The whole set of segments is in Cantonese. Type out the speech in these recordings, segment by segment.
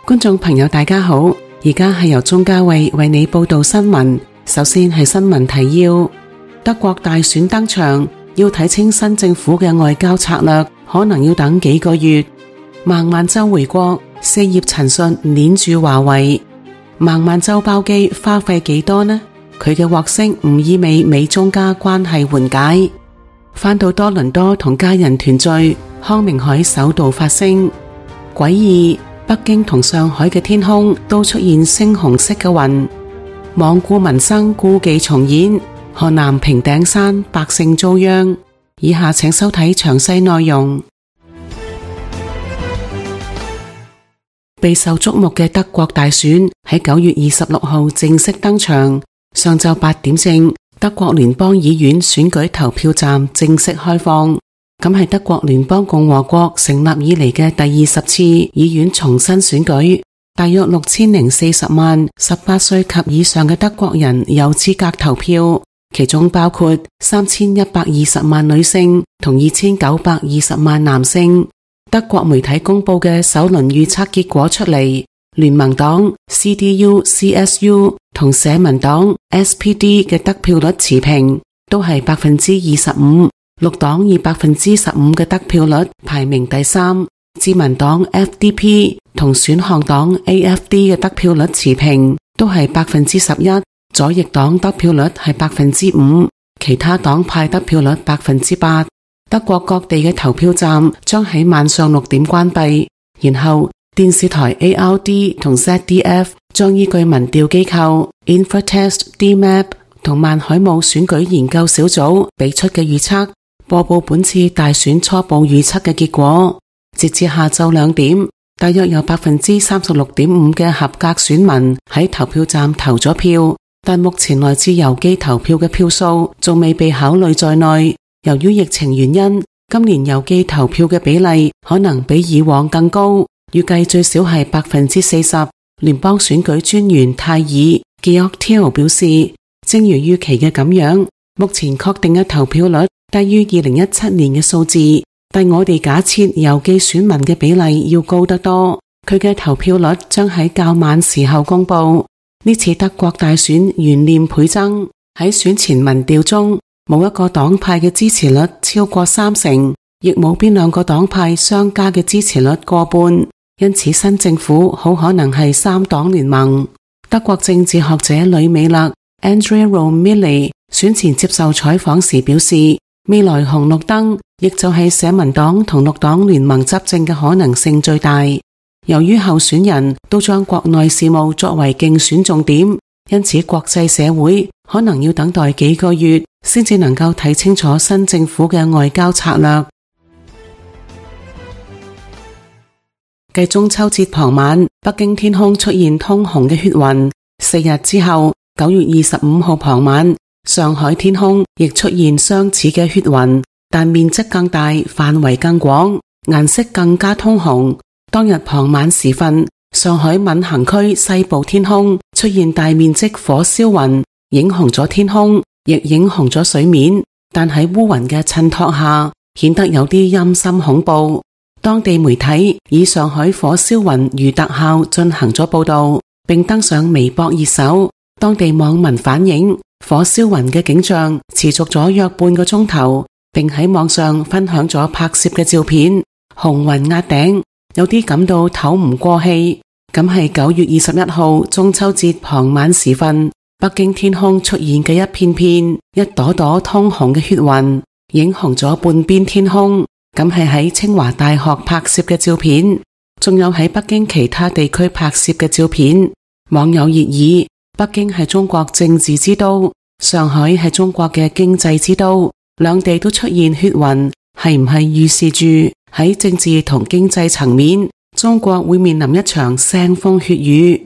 觀眾朋友大家好，而家係由鍾嘉慧為你報道新聞。首先係新聞提要：德國大選登場，要睇清新政府嘅外交策略，可能要等幾個月。孟晚舟回國，四葉陳述鏈住華為。孟晚舟包機花費幾多呢？佢嘅獲釋唔意味美中加關係緩解。返到多倫多同家人團聚，康明凱首度發聲。詭異，北京同上海嘅天空都出現猩紅色嘅雲。罔顧民生，故伎重演。河南平頂山百姓遭殃。以下請收睇詳細內容。備受矚目嘅德國大選喺9月26號正式登場。上晝8點正，德國聯邦議院選舉投票站正式開放。咁係德國聯邦共和國成立以嚟嘅第20次議院重新選舉。大約6040萬18歲及以上嘅德國人有資格投票，其中包括3120萬女性同2920萬男性。德國媒體公布嘅首輪預測結果出嚟，聯盟黨 CDU、CSU 同社民黨 SPD 嘅得票率持平，都係25%。綠黨以15%嘅得票率排名第三。自民黨 FDP 同選項黨 AFD 嘅得票率持平，都係11%。左翼黨得票率係5%，其他黨派得票率8%。德國各地嘅投票站將喺晚上6點關閉，然後電視台 ARD 同 ZDF 將依據民調機構 Infratest DMAP 同萬海姆選舉研究小組俾出嘅預測，播報本次大選初步預測嘅結果。截至下晝2點，大約有36.5% 嘅合格選民喺投票站投咗票，但目前來自郵寄投票嘅票數仲未被考慮在內。由於疫情原因，今年郵寄投票嘅比例可能比以往更高，預計最少係40%。聯邦選舉專員泰爾 Georg Thiel 表示，正如預期嘅咁樣，目前確定嘅投票率低於2017年嘅數字，但我哋假設郵寄選民嘅比例要高得多。佢嘅投票率將喺較晚時候公布。呢次德國大選懸念倍增，喺選前民調中，冇一個黨派嘅支持率超過30%，亦冇邊兩個黨派相加嘅支持率過半，因此新政府好可能係3黨聯盟。德國政治學者呂美勒 Andrea Romilly 選前接受採訪時表示，未來紅綠燈亦就係社民黨同綠黨聯盟執政嘅可能性最大。由於候選人都將國內事務作為競選重點，因此國際社會可能要等待幾個月先至能夠睇清楚新政府嘅外交策略。繼中秋節傍晚，北京天空出現通紅嘅血雲。4日之後，9月25號傍晚，上海天空亦出現相似嘅血雲，但面積更大，範圍更廣，顏色更加通紅。當日傍晚時分，上海閔行區西部天空出現大面積火燒雲，映紅咗天空，亦映紅咗水面，但喺烏雲嘅襯托下，顯得有啲陰森恐怖。當地媒體以上海火燒雲如特效進行咗報道，並登上微博熱搜。當地網民反映，火燒雲嘅景象持續咗約半個鐘頭，並喺網上分享咗拍攝嘅照片。紅雲壓頂，有啲感到透唔過氣。咁係9月21號中秋節傍晚時分，北京天空出現嘅一片片、一朵朵通紅嘅血雲，映紅咗半邊天空。咁係喺清華大學拍攝嘅照片，仲有喺北京其他地區拍攝嘅照片。網友熱議：北京係中國政治之都，上海係中國嘅經濟之都，兩地都出現血雲，係唔係預示住喺政治同經濟層面，中國會面臨一場腥風血雨？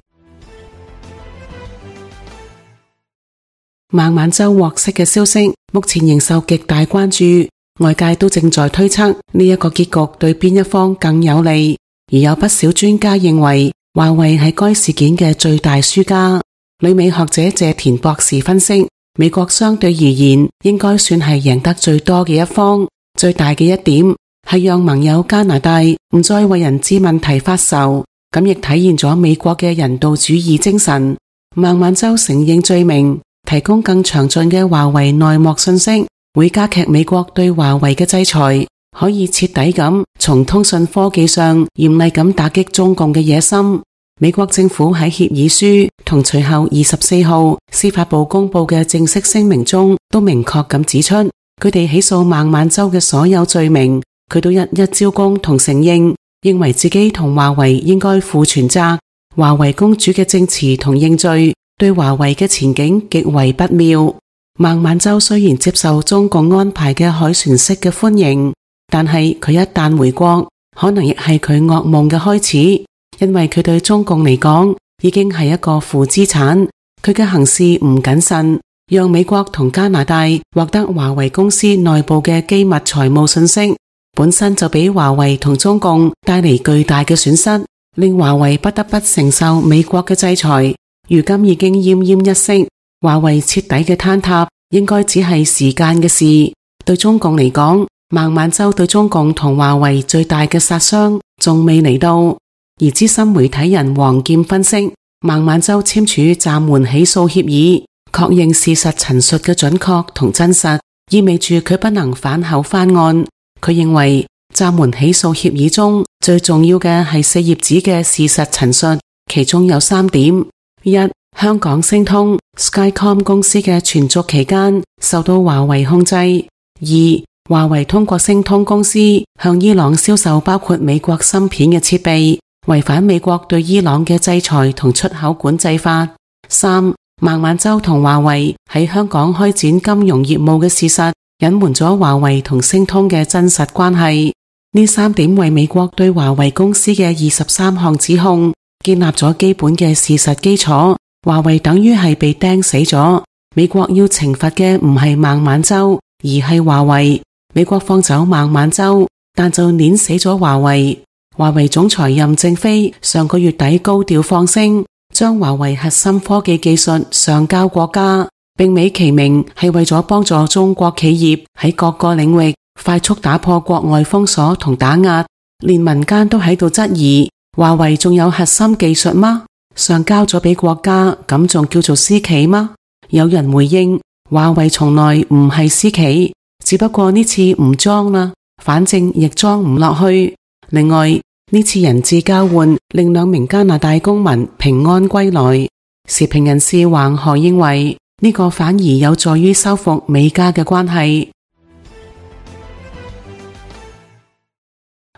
孟晚舟獲釋嘅消息目前仍受極大關注，外界都正在推測呢一個結局對邊一方更有利，而有不少專家認為華為係該事件嘅最大輸家。旅美學者謝田博士分析，美國相對而言應該算係贏得最多嘅一方，最大嘅一點係讓盟友加拿大唔再為人質問題發愁，咁亦體現咗美國嘅人道主義精神。孟晚舟承認罪名，提供更詳盡嘅華為內幕信息，會加劇美國對華為嘅制裁，可以徹底咁從通訊科技上嚴厲咁打擊中共嘅野心。美國政府喺協議書同隨後24號司法部公布嘅正式聲明中都明確咁指出，佢哋起訴孟晚舟嘅所有罪名，佢都一一招供同承認，認為自己同華為應該負全責。華為公主嘅證詞同認罪對華為嘅前景極為不妙。孟晚舟雖然接受中共安排嘅凱旋式嘅歡迎，但係佢一旦回國，可能亦係佢噩夢嘅開始。因為佢對中共嚟講已經係一個負資產，佢嘅行事唔謹慎，讓美國同加拿大獲得華為公司內部嘅機密財務信息，本身就俾華為同中共帶嚟巨大嘅損失，令華為不得不承受美國嘅制裁。如今已經奄奄一息，華為徹底嘅坍塌應該只係時間嘅事。對中共嚟講，孟晚舟對中共同華為最大嘅殺傷仲未嚟到。而資深媒體人黃劍分析，孟晚舟簽署暫緩起訴協議，確認事實陳述嘅準確同真實，意味住佢不能反口翻案。佢認為暫緩起訴協議中最重要嘅係4頁紙嘅事實陳述，其中有3點：一、香港星通 Skycom 公司嘅存續期間受到華為控制；二、華為通過星通公司向伊朗銷售包括美國芯片嘅設備，違反美國對伊朗嘅制裁同出口管制法。三、孟晚舟同華為喺香港開展金融業務嘅事實，隱瞞咗華為同星通嘅真實關係。呢3點為美國對華為公司嘅23項指控建立咗基本嘅事實基礎。華為等於係被釘死咗，美國要懲罰嘅唔係孟晚舟，而係華為。美國放走孟晚舟，但就碾死咗華為。華為總裁任正非上個月底高調放聲，將華為核心科技技術上交國家，並美其名係為咗幫助中國企業喺各個領域快速打破國外封鎖同打壓。連民間都喺度質疑，華為仲有核心技術嗎？上交咗俾國家，咁仲叫做私企嗎？有人回應，華為從來唔係私企，只不過呢次唔裝啦，反正亦裝唔落去。另外，呢次人質交換令2名加拿大公民平安歸來。時評人士橫河認為，呢個反而有助於修復美加嘅關係。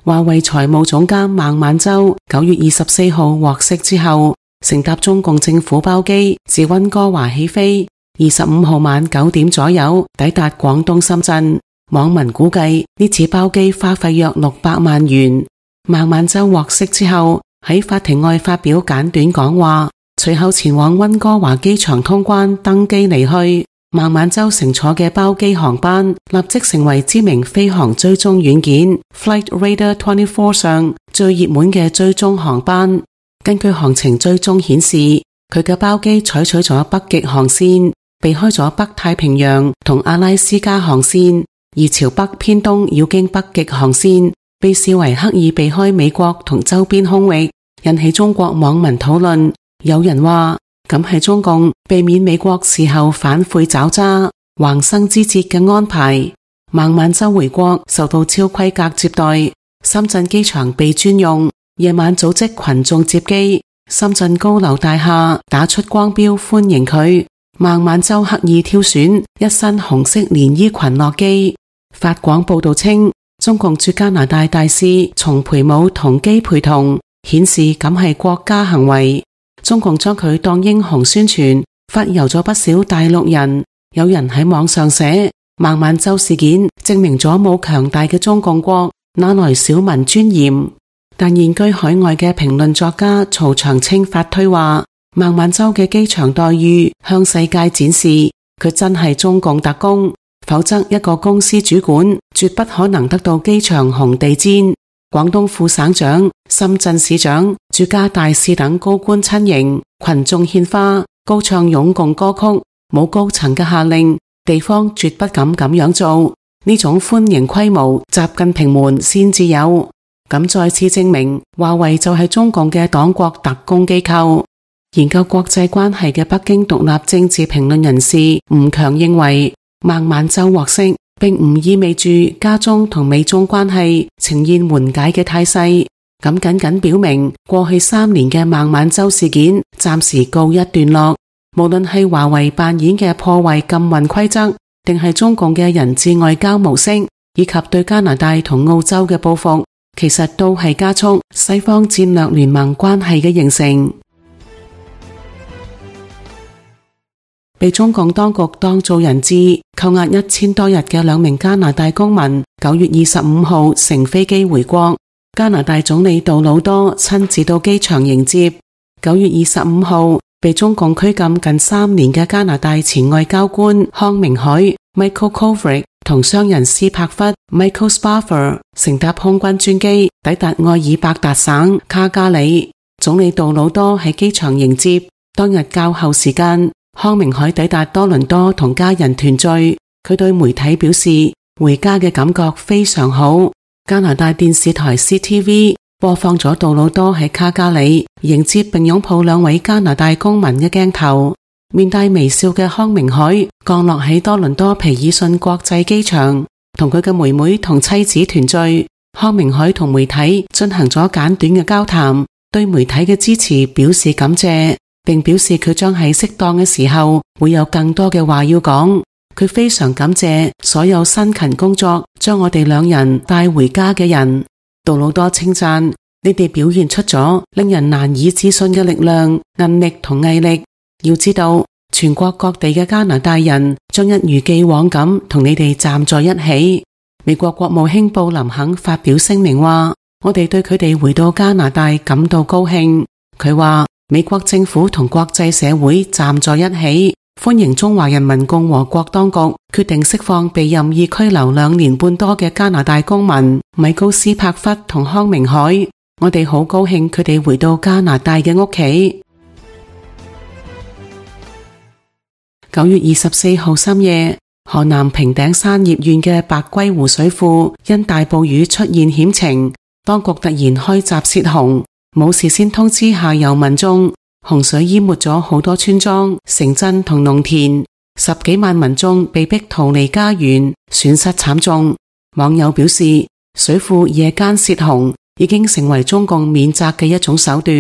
華為財務總監孟晚舟9月24號獲釋之後，乘搭中共政府包機自溫哥華起飛，25號晚9點左右抵達廣東深圳。網民估計呢次包機花費約600萬元。孟晚舟獲釋之後喺法庭外發表簡短講話，隨後前往溫哥華機場通關登機離去。孟晚舟乘坐嘅包機航班立即成為知名飛航追蹤軟件 Flight Radar 24上最熱門嘅追蹤航班。根據航程追蹤顯示，佢嘅包機採取咗北極航線，避開咗北太平洋同阿拉斯加航線，而朝北偏東繞經北極航線，被視為刻意避開美國同周邊空域，引起中國網民討論。有人話，咁係中共避免美國事後反悔找茬、橫生枝節嘅安排。孟晚舟回國受到超規格接待，深圳機場被專用，夜晚組織群眾接機，深圳高樓大廈打出光標歡迎佢。孟晚舟刻意挑選一身紅色連衣裙落機。法廣報道稱，中共駐加拿大大使叢培武同機陪同，顯示咁係國家行為。中共將佢當英雄宣傳，發油咗不少大陸人。有人喺網上寫，孟晚舟事件證明咗冇強大嘅中共國，哪來小民尊嚴？但現居海外嘅評論作家曹長青發推話，孟晚舟嘅機場待遇向世界展示佢真係中共特工，否則一個公司主管絕不可能得到機場紅地毯。廣東副省長、深圳市長、駐加大使等高官親迎，群眾獻花，高唱擁共歌曲，冇高層嘅下令，地方絕不敢咁樣做。呢種歡迎規模，習近平們先至有。咁再次證明，華為就係中共嘅黨國特工機構。研究國際關係嘅北京獨立政治評論人士吳強認為，孟晚舟獲釋並唔意味住加中同美中關係呈現緩解嘅態勢，咁僅僅表明過去3年嘅孟晚舟事件暫時告一段落。無論係華為扮演嘅破壞禁運規則，定係中共嘅人質外交模式，以及對加拿大同澳洲嘅報復，其實都係加速西方戰略聯盟關係嘅形成。被中共當局當做人質扣押1000多日嘅2名加拿大公民9月25號乘飛機回國，加拿大總理杜魯多親自到機場迎接。9月25號被中共拘禁近3年嘅加拿大前外交官康明凱 Michael Kovrig 同商人斯帕弗 Michael Spavor 乘搭空軍專機抵達愛爾伯達省卡加里，總理杜魯多喺機場迎接。當日較後時間，康明凱抵達多倫多同家人團聚，佢對媒體表示回家嘅感覺非常好。加拿大電視台 CTV 播放咗杜魯多喺卡加里迎接並擁抱2位加拿大公民嘅鏡頭。面帶微笑嘅康明凱降落喺多倫多皮爾遜國際機場，同佢嘅妹妹同妻子團聚。康明凱同媒體進行咗簡短嘅交談，對媒體嘅支持表示感謝，並表示佢將喺適當嘅時候會有更多嘅話要講。佢非常感謝所有辛勤工作將我哋2人帶回家嘅人。杜魯多稱讚，你哋表現出咗令人難以置信嘅力量、韌力同毅力。要知道，全國各地嘅加拿大人將一如既往咁同你哋站在一起。美國國務卿布林肯發表聲明話，我哋對佢哋回到加拿大感到高興。佢話，美國政府同國際社會站在一起，歡迎中華人民共和國當局決定釋放被任意拘留2年半多嘅加拿大公民米高斯帕弗同康明凱。我哋好高興佢哋回到加拿大嘅屋企。9月24號深夜，河南平頂山葉縣嘅白龜湖水庫因大暴雨出現險情，當局突然開閘泄洪，冇事先通知下游民眾，洪水淹沒咗好多村莊、城鎮同農田，10幾萬民眾被迫逃離家園，損失慘重。網友表示，水庫夜間泄洪已經成為中共免責嘅一種手段。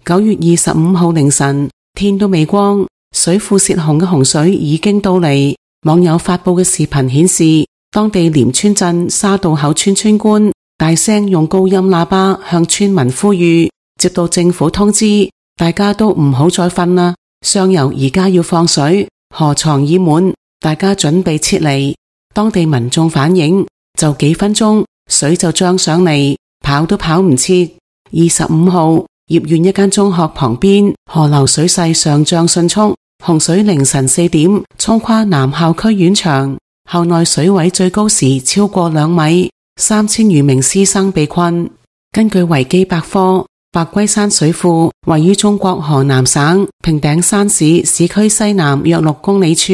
9月25號凌晨，天都未光，水庫泄洪嘅洪水已經到嚟。網友發布嘅視頻顯示，當地廉川鎮沙渡口村村官大聲用高音喇叭向村民呼籲，接到政府通知，大家都唔好再瞓啦，上游而家要放水，河床已滿，大家準備撤離。當地民眾反映，就幾分鐘，水就漲上嚟，跑都跑唔切。25號，葉縣一間中學旁邊河流水勢上漲迅速，洪水凌晨4點沖跨南校區院牆，校內水位最高時超過2米，3000餘名師生被困。根據維基百科，白龜山水庫位於中國河南省平頂山市市區西南約6公里處，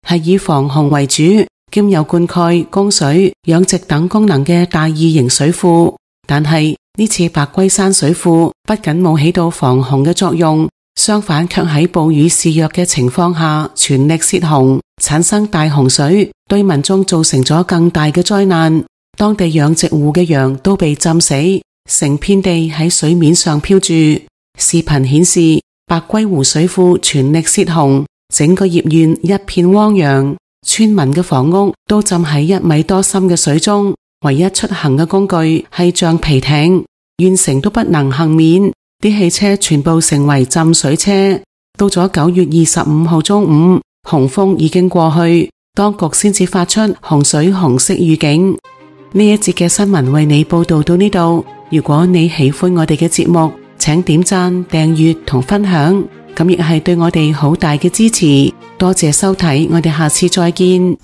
係以防洪為主，兼有灌溉、供水、養殖等功能嘅大異型水庫。但係呢次白龜山水庫不僅冇起到防洪嘅作用，相反卻喺暴雨肆虐嘅情況下全力泄洪，產生大洪水，對民眾造成咗更大嘅災難。當地養殖戶嘅羊都被浸死，成片地喺水面上漂住。視頻顯示，白龜湖水庫全力泄洪，整個葉縣一片汪洋，村民嘅房屋都浸喺1米多深嘅水中，唯一出行嘅工具係橡皮艇，縣城都不能幸免，啲汽車全部成為浸水車。到咗9月25號中午，洪峰已經過去，當局先至發出洪水紅色預警。呢一節嘅新聞為你報道到呢度。如果你喜歡我哋嘅節目，請點讚、訂閱同分享，咁亦係對我哋好大嘅支持。多謝收睇，我哋下次再見。